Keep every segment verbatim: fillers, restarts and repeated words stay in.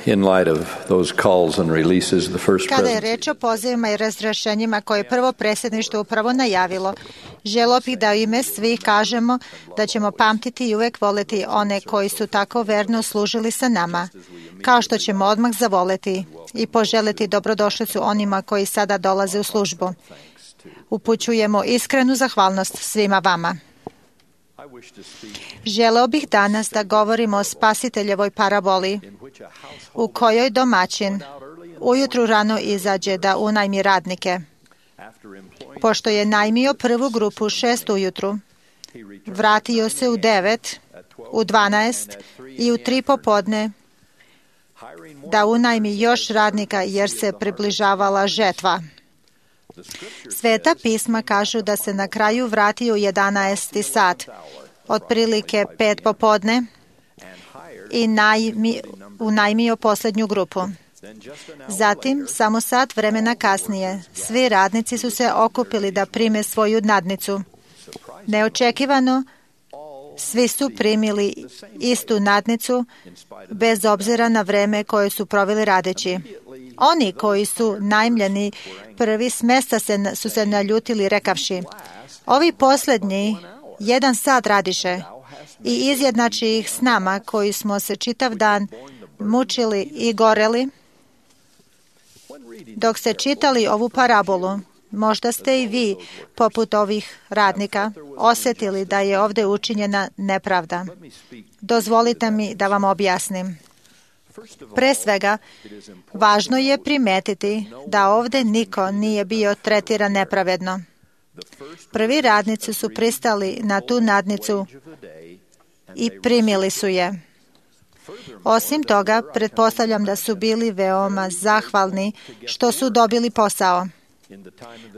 in light of those calls and releases, the first Kada je presidency. reč o pozivima i razrešenjima koje je prvo predsjedništvo upravo najavilo, želio bih da u ime svih kažemo da ćemo pamtiti i uvek voleti one koji su tako verno služili sa nama, kao što ćemo odmah zavoleti i poželiti dobrodošlicu onima koji sada dolaze u službu. Upućujemo iskrenu zahvalnost svima vama. Želeo bih danas da govorimo o spasiteljevoj paraboli u kojoj domaćin ujutru rano izađe da unajmi radnike. Pošto je najmio prvu grupu šest ujutru, vratio se u devet, u dvanaest i u tri popodne da unajmi još radnika jer se približavala žetva. Sveta pisma kažu da se na kraju vratio u jedanaesti sat, otprilike pet popodne, i najmi, unajmio posljednju grupu. Zatim, samo sat vremena kasnije, svi radnici su se okupili da prime svoju nadnicu. Neočekivano, svi su primili istu nadnicu, bez obzira na vreme koje su proveli radeći. Oni koji su najmljeni prvi s mesta se, su se naljutili rekavši: ovi posljednji jedan sat radiše, i izjednači ih s nama koji smo se čitav dan mučili i goreli. Dok ste čitali ovu parabolu, možda ste i vi, poput ovih radnika, osjetili da je ovdje učinjena nepravda. Dozvolite mi da vam objasnim. Pre svega, važno je primetiti da ovdje niko nije bio tretiran nepravedno. Prvi radnici su pristali na tu nadnicu i primili su je. Osim toga, pretpostavljam da su bili veoma zahvalni što su dobili posao.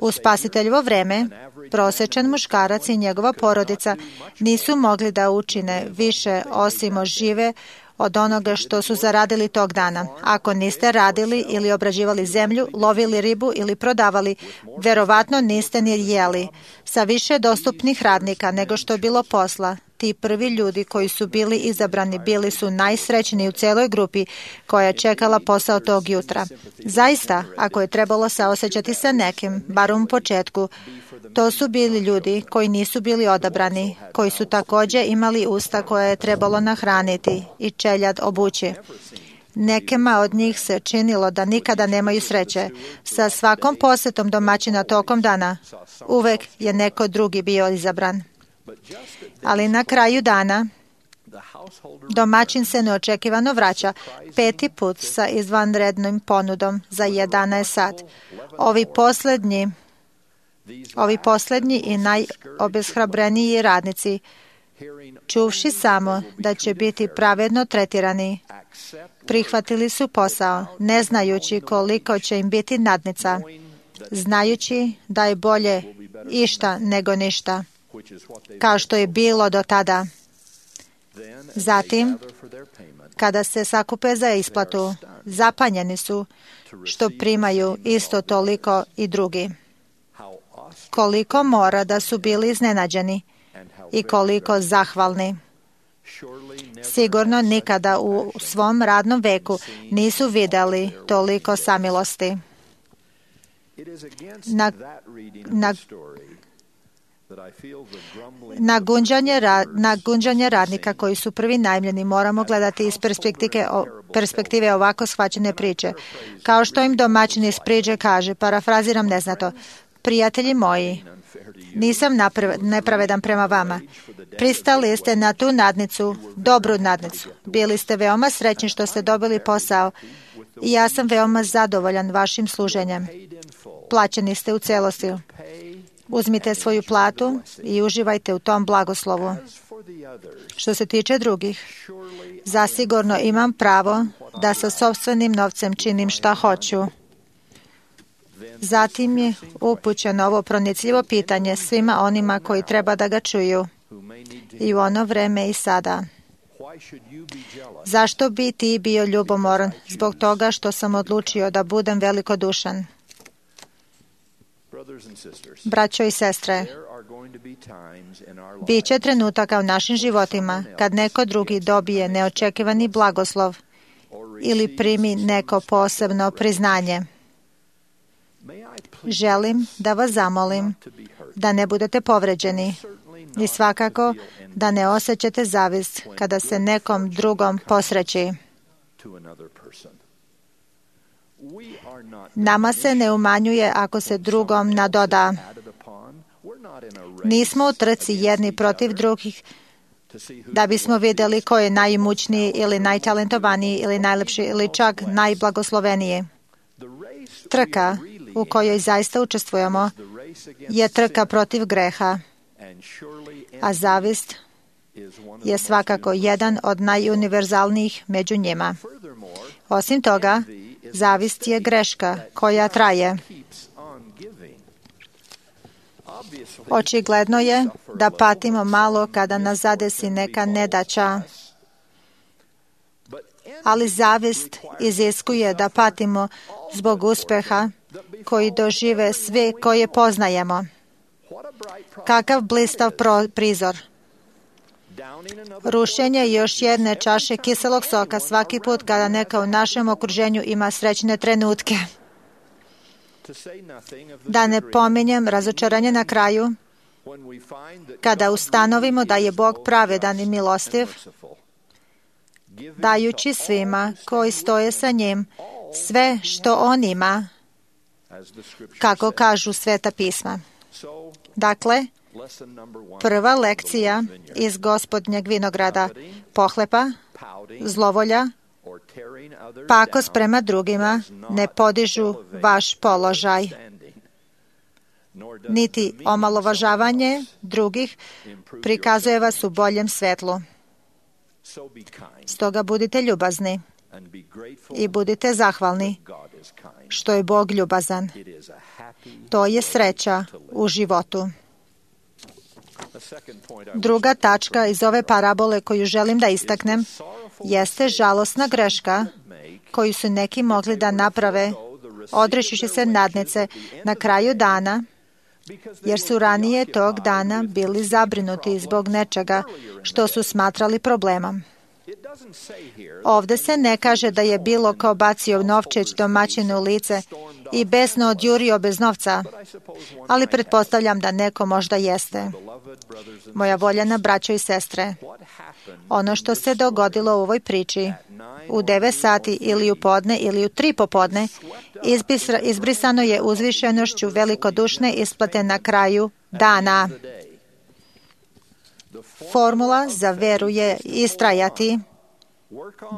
U spasiteljevo vreme, prosječan muškarac i njegova porodica nisu mogli da učine više osim ožive od onoga što su zaradili tog dana. Ako niste radili ili obrađivali zemlju, lovili ribu ili prodavali, verovatno niste ni jeli. Sa više dostupnih radnika nego što je bilo posla, ti prvi ljudi koji su bili izabrani bili su najsrećniji u celoj grupi koja je čekala posao tog jutra. Zaista, ako je trebalo saosećati sa nekim, bar u početku, to su bili ljudi koji nisu bili odabrani, koji su također imali usta koje je trebalo nahraniti i čeljad obući. Nekima od njih se činilo da nikada nemaju sreće. Sa svakom posjetom domaćina tokom dana uvek je neko drugi bio izabran. Ali na kraju dana domaćin se neočekivano vraća peti put sa izvanrednom ponudom za jedanaest sat. Ovi posljednji Ovi posljednji i najobeshrabreniji radnici, čuvši samo da će biti pravedno tretirani, prihvatili su posao, ne znajući koliko će im biti nadnica, znajući da je bolje išta nego ništa, kao što je bilo do tada. Zatim, kada se sakupe za isplatu, zapanjeni su što primaju isto toliko i drugi. Koliko mora da su bili iznenađeni i koliko zahvalni. Sigurno nikada u svom radnom veku nisu vidjeli toliko samilosti. Na, na, na, gunđanje, na gunđanje radnika koji su prvi najmljeni moramo gledati iz perspektive, perspektive ovako shvaćene priče. Kao što im domaćin iz priče kaže, parafraziram neznato: prijatelji moji, nisam nepravedan prema vama. Pristali ste na tu nadnicu, dobru nadnicu. Bili ste veoma srećni što ste dobili posao i ja sam veoma zadovoljan vašim služenjem. Plaćeni ste u celosti. Uzmite svoju platu i uživajte u tom blagoslovu. Što se tiče drugih, zasigurno imam pravo da sa sopstvenim novcem činim šta hoću. Zatim je upućeno ovo pronicljivo pitanje svima onima koji treba da ga čuju i u ono vreme i sada. Zašto bi ti bio ljubomoran zbog toga što sam odlučio da budem velikodušan? Braćo i sestre, biće trenutaka u našim životima kad neko drugi dobije neočekivani blagoslov ili primi neko posebno priznanje. Želim da vas zamolim da ne budete povređeni i svakako da ne osjećate zavist kada se nekom drugom posreći. Nama se ne umanjuje ako se drugom nadoda. Nismo u trci jedni protiv drugih da bismo vidjeli ko je najimućniji ili najtalentovaniji ili najlepši ili čak najblagosloveniji. Trka u kojoj zaista učestvujemo je trka protiv greha, a zavist je svakako jedan od najuniverzalnijih među njima. Osim toga, zavist je greška koja traje. Očigledno je da patimo malo kada nas zadesi neka nedaća, ali zavist iziskuje da patimo zbog uspeha koji dožive svi koje poznajemo. Kakav blistav prizor! Rušenje još jedne čaše kiselog soka svaki put kada neka u našem okruženju ima srećne trenutke. Da ne pominjem razočaranje na kraju, kada ustanovimo da je Bog pravedan i milostiv, dajući svima koji stoje sa njim sve što on ima, kako kažu Sveta pisma. Dakle, prva lekcija iz Gospodnjeg vinograda: pohlepa, zlovolja, pakost prema drugima ne podižu vaš položaj, niti omalovažavanje drugih prikazuje vas u boljem svetlu. Stoga budite ljubazni i budite zahvalni što je Bog ljubazan. To je sreća u životu. Druga tačka iz ove parabole koju želim da istaknem jeste žalosna greška koju su neki mogli da naprave odrećući se nadnice na kraju dana, jer su ranije tog dana bili zabrinuti zbog nečega što su smatrali problemom. Ovde se ne kaže da je bilo ko bacio novčić domaćinu u lice i besno odjurio bez novca, ali pretpostavljam da neko možda jeste. Moja voljena braćo i sestre, ono što se dogodilo u ovoj priči, u devet sati ili u podne ili u tri popodne, izbrisano je uzvišenošću velikodušne isplate na kraju dana. Formula za veru je istrajati,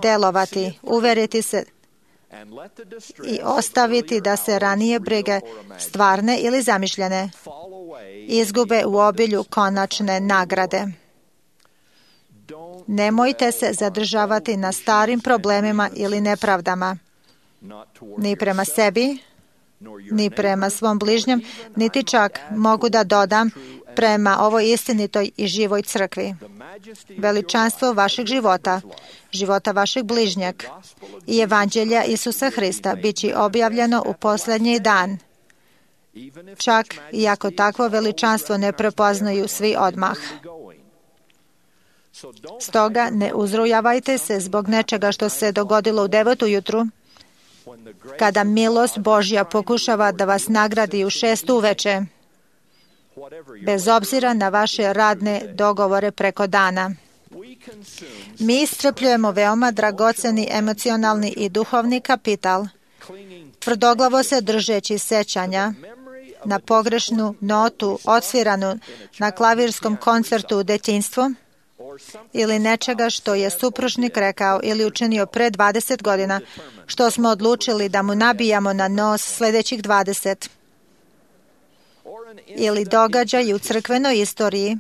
delovati, uveriti se i ostaviti da se ranije brige, stvarne ili zamišljene, izgube u obilju konačne nagrade. Nemojte se zadržavati na starim problemima ili nepravdama, ni prema sebi, ni prema svom bližnjem, niti čak, mogu da dodam, prema ovoj istinitoj i živoj crkvi. Veličanstvo vašeg života, života vašeg bližnjeg i evanđelja Isusa Hrista bit će objavljeno u posljednji dan, čak i ako takvo veličanstvo ne prepoznaju svi odmah. Stoga ne uzrujavajte se zbog nečega što se dogodilo u devet ujutru, kada milost Božja pokušava da vas nagradi u šest uveče, bez obzira na vaše radne dogovore preko dana. Mi iscrpljujemo veoma dragoceni emocionalni i duhovni kapital, tvrdoglavo se držeći sećanja na pogrešnu notu odsviranu na klavirskom koncertu u detinjstvu ili nečega što je supružnik rekao ili učinio pre dvadeset godina, što smo odlučili da mu nabijamo na nos sljedećih dvadeset. Ili događaj u crkvenoj istoriji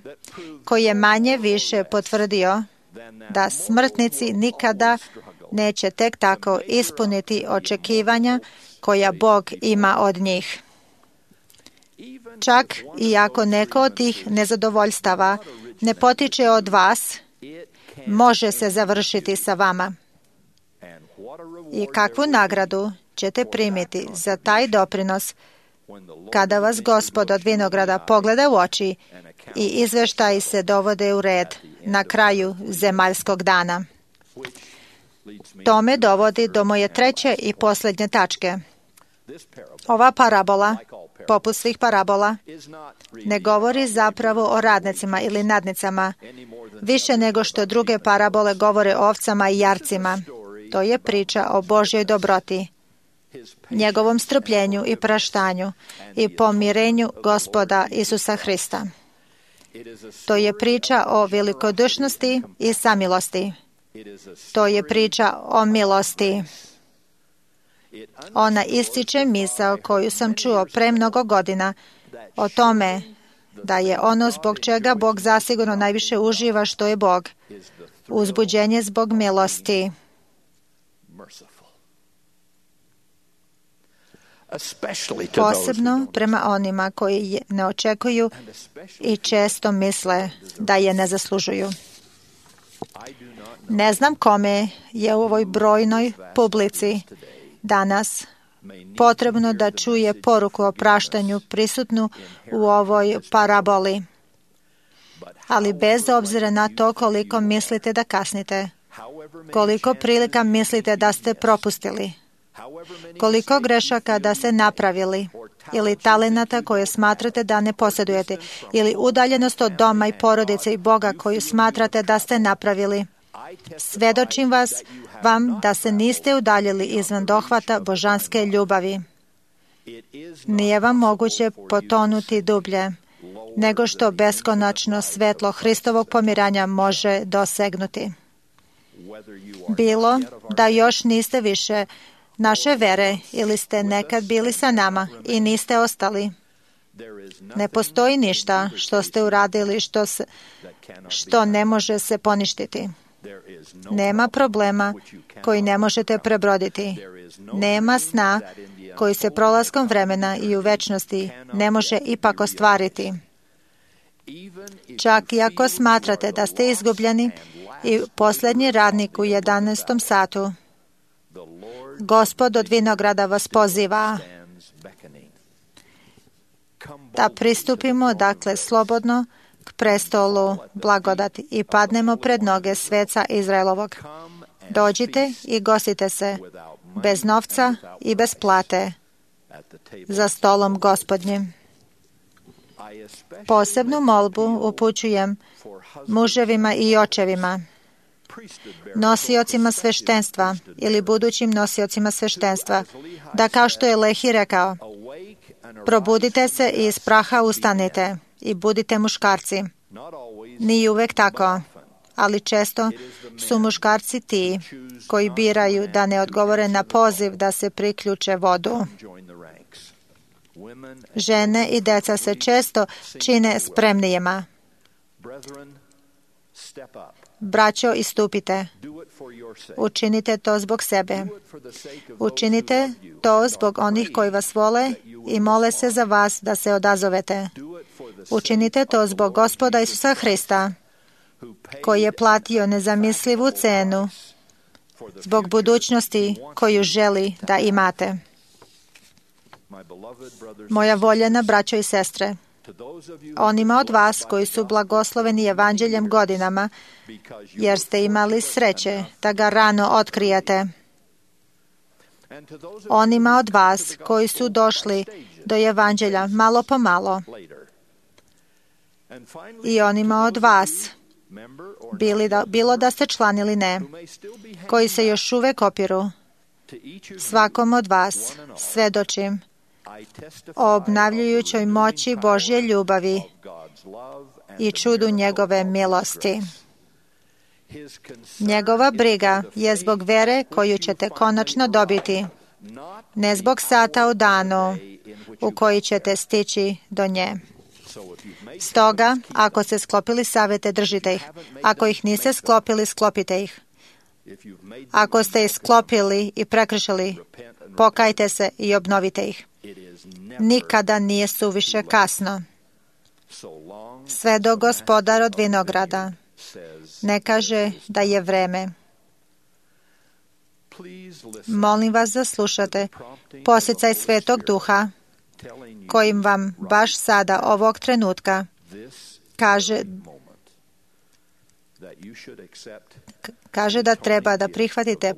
koji je manje više potvrdio da smrtnici nikada neće tek tako ispuniti očekivanja koja Bog ima od njih. Čak i ako neko od tih nezadovoljstava ne potiče od vas, može se završiti sa vama. I kakvu nagradu ćete primiti za taj doprinos kada vas Gospod od vinograda pogleda u oči i izveštaji se dovode u red na kraju zemaljskog dana. To me dovodi do moje treće i posljednje tačke. Ova parabola, poput svih parabola, ne govori zapravo o radnicima ili nadnicama, više nego što druge parabole govore o ovcama i jarcima. To je priča o Božjoj dobroti, njegovom strpljenju i praštanju i pomirenju Gospoda Isusa Hrista. To je priča o velikodušnosti i samilosti. To je priča o milosti. Ona ističe misao koju sam čuo pre mnogo godina o tome da je ono zbog čega Bog zasigurno najviše uživa što je Bog. Uzbuđenje zbog milosti. Posebno prema onima koji je ne očekuju i često misle da je ne zaslužuju. Ne znam kome je u ovoj brojnoj publici danas potrebno da čuje poruku o praštanju prisutnu u ovoj paraboli. Ali bez obzira na to koliko mislite da kasnite, koliko prilika mislite da ste propustili, koliko grešaka da ste napravili, ili talenata koje smatrate da ne posjedujete, ili udaljenost od doma i porodice i Boga koju smatrate da ste napravili, svedočim vas vam da se niste udaljili izvan dohvata božanske ljubavi. Nije vam moguće potonuti dublje nego što beskonačno svetlo Hristovog pomiranja može dosegnuti. Bilo da još niste više naše vere ili ste nekad bili sa nama i niste ostali. Ne postoji ništa što ste uradili što, se, što ne može se poništiti. Nema problema koji ne možete prebroditi. Nema sna koji se prolaskom vremena i u večnosti ne može ipak ostvariti. Čak i ako smatrate da ste izgubljeni i posljednji radnik u jedanaestom satu, Gospod od vinograda vas poziva da pristupimo, dakle, slobodno k prestolu blagodati i padnemo pred noge sveca Izraelovog. Dođite i gostite se bez novca i bez plate za stolom Gospodnjim. Posebnu molbu upućujem muževima i očevima, nosiocima sveštenstva ili budućim nosiocima sveštenstva, da kao što je Lehi rekao, probudite se i iz praha ustanite i budite muškarci. Nije uvek tako, ali često su muškarci ti koji biraju da ne odgovore na poziv da se priključe vodu. Žene i deca se često čine spremnijima. Braćo, istupite. Učinite to zbog sebe. Učinite to zbog onih koji vas vole i mole se za vas da se odazovete. Učinite to zbog Gospoda Isusa Hrista, koji je platio nezamislivu cenu zbog budućnosti koju želi da imate. Moja voljena braćo i sestre, onima od vas koji su blagosloveni evanđeljem godinama, jer ste imali sreće da ga rano otkrijete. Onima od vas koji su došli do evanđelja malo po malo. I onima od vas, bili da, bilo da ste član ili ne, koji se još uvek opiru, svakom od vas svedočim o obnavljujućoj moći Božje ljubavi i čudu njegove milosti. Njegova briga je zbog vere koju ćete konačno dobiti, ne zbog sata u danu u koji ćete stići do nje. Stoga, ako ste sklopili savete, držite ih. Ako ih niste sklopili, sklopite ih. Ako ste ih sklopili i prekršili, pokajte se i obnovite ih. Nikada nije suviše kasno. Sve do Gospodar od vinograda ne kaže da je vreme. Molim vas da slušate posjecaj Svetog Duha, kojim vam baš sada ovog trenutka kaže Kaže da treba da prihvatite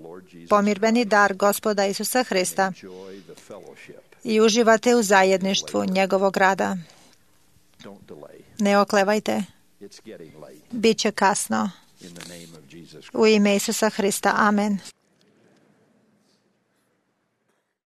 pomirbeni dar Gospoda Isusa Hrista i uživate u zajedništvu njegovog rada. Ne oklevajte. Biće kasno. U ime Isusa Hrista. Amen.